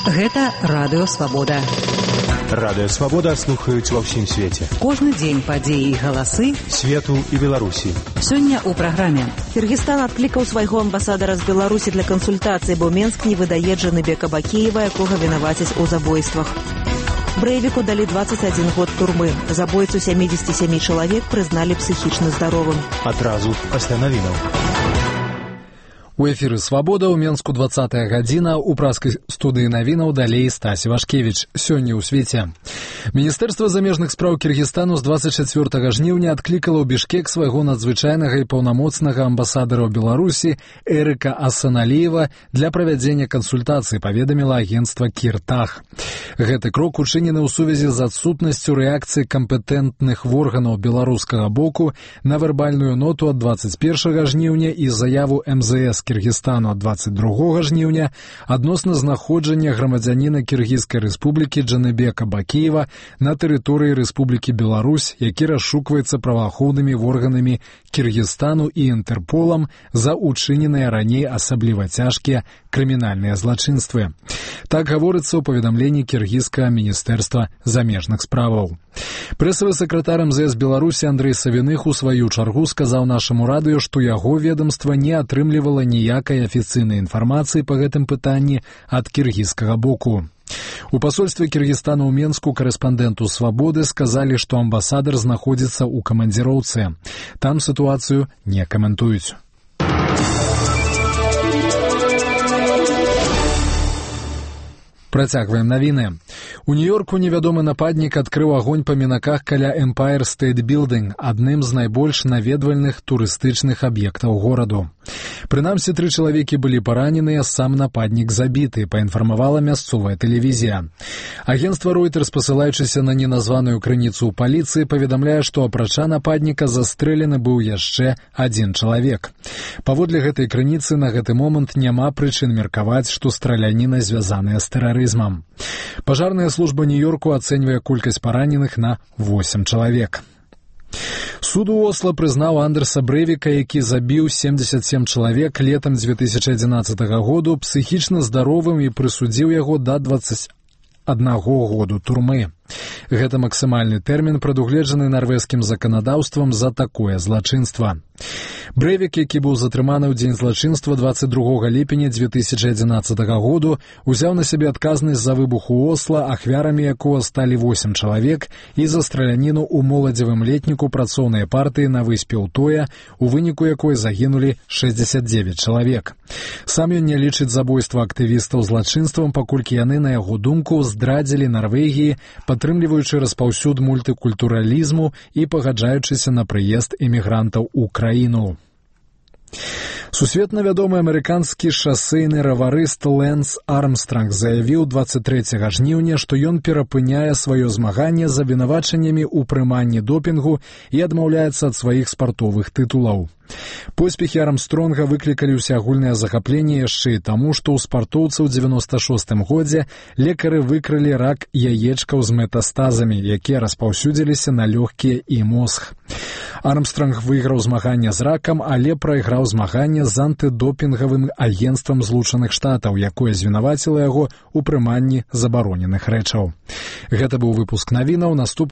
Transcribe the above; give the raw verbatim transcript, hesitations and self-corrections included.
Гэта Радыё Свабода. Радыё Свабода слухаюць ва ўсім свеце. Кожны дзень падзеі і галасы свету і Беларусі. Сёння ў праграме. Кыргызстан адклікаў свайго амбасадара з Беларусі для кансультацыі, бо Менск не выдае Джаныбека Бакеева, якога вінавацяць у забойствах. Брэйвіку далі дваццаць адзін год турмы. Забойцу сямідзесят сем чалавек прызналі псіхічна здаровым. Адразу пасля навінаў. У эфіры «Свабода» ў Менску двадцатая гадзіна, у праскай студыі навінаў далей Стасі Вашкевіч. Сёння ў свеце. Міністэрства замежных спраў Кіргізстану з двадцать чацвёртага жніўня адклікала ў Бішкек свайго надзвычайнага і паўнамоцнага амбасадара ў Беларусі Эрыка Асаналіева для правядзення кансультацыі, паведаміла агенцтва Кіртах. Гэты крок учынены ў сувязі з адсутнасцю рэакцыі кампетэнтных органаў беларускага боку на вербальную ноту ад двадцать першага жніўня і заяву эм зэ эс Кіргізстану ад двадцать другога жніўня адносна знаходжання грамадзяніна Кіргізскай рэспублікі Джаныбека Бакеева на тэрыторыі Рэспублікі Беларусь, які расшукваецца праваахоўнымі органамі Кіргізстану і Інтэрполам за учыненыя раней асабліва цяжкія крымінальныя злачынствы. Так гаворыцца ў паведамленні кіргізскага міністэрства замежных справаў. Прэсавы сакратар эм зэ эс Беларусі Андрэй Савіных у сваю чаргу сказаў нашаму радыё, што яго ведамства не атрымлівала ніякай афіцыйнай інфармацыі па гэтым пытанні ад кіргізскага боку. У пасольстве Кіргізстана ў Менску карэспандэнту «Свабоды» сказалі, што амбасадар знаходзіцца ў камандзіроўцы. Там сітуацыю не каментуюць. Працягваем навіны. У Нью-Йорку невядомы нападнік адкрыў агонь па мінаках каля Empire State Building, адным з найбольш наведвальных турыстычных аб'ектаў гораду. Прынамсі, тры чалавекі былі параненыя, сам нападнік забіты, паінфармавала мясцовая тэлевізія. Агенцтва Reuters, пасылаючыся на неназваную крыніцу ў паліцыі, паведамляе, што апрача нападніка застрэлены быў яшчэ адзін чалавек. Паводле гэтай крыніцы на гэты момант няма прычын меркаваць, што страляніна звязаная з тэрарызмам. Пажарная служба Нью-Йорку ацэньвае колькасць параненых на восемь чалавек. Суд у Осла прызнаў Андерса Брэйвіка, які забіў семьдесят семь чалавек летам две тысячи одиннадцатага году, псіхічна здаровым і прысудзіў яго да двадцати аднаго году турмы. Гэта максімальны тэрмін, прадугледжаны нарвежскім заканадаўствам за такое злачынства. Брэйвік, які быў затрыманы ў дзень злачынства двадцать другога ліпеня две тысячи одиннадцатага году, узяў на сябе адказнасць за выбух у Осла, ахвярамі якога сталі восемь чалавек, і за страляніну ў моладзевым летніку працоўнай партыі на выспе Утоя, у выніку якой загінулі шэсцьдзесят девять чалавек. Сам ён не лічыць забойства актывістаў злачынствам, паколькі яны, на яго думку, здрадзілі Нарвегіі, падтрымліваючы распаўсюд мультыкультуралізму і пагаджаючыся на прыезд эмігрантаў у краіну. Сусветна вядомы амерыканскі шасейны раварыст Лэнс Армстранг заявіў двадцать трэцяга жніўня, што ён перапыняе сваё змаганне з абвінавачаннямі ў прыманні допінгу і адмаўляецца ад сваіх спартовых тытулаў. Поспехі Армстронга выклікалі ўсеагульнае захапленне яшчэ і таму, што ў спартоўца ў дзевяноста шостым годзе лекары выкрылі рак яечкаў з метастазамі, якія распаўсюдзіліся на лёгкія і мозг. Армстронг выйграў змаганне з ракам, але прайграў змаганне з антыдопінгавым агенцтвам Злучаных Штатаў, якое звінаваціла яго ў прыманні забароненых рэчаў. Гэта быў выпуск навінаў. Наступ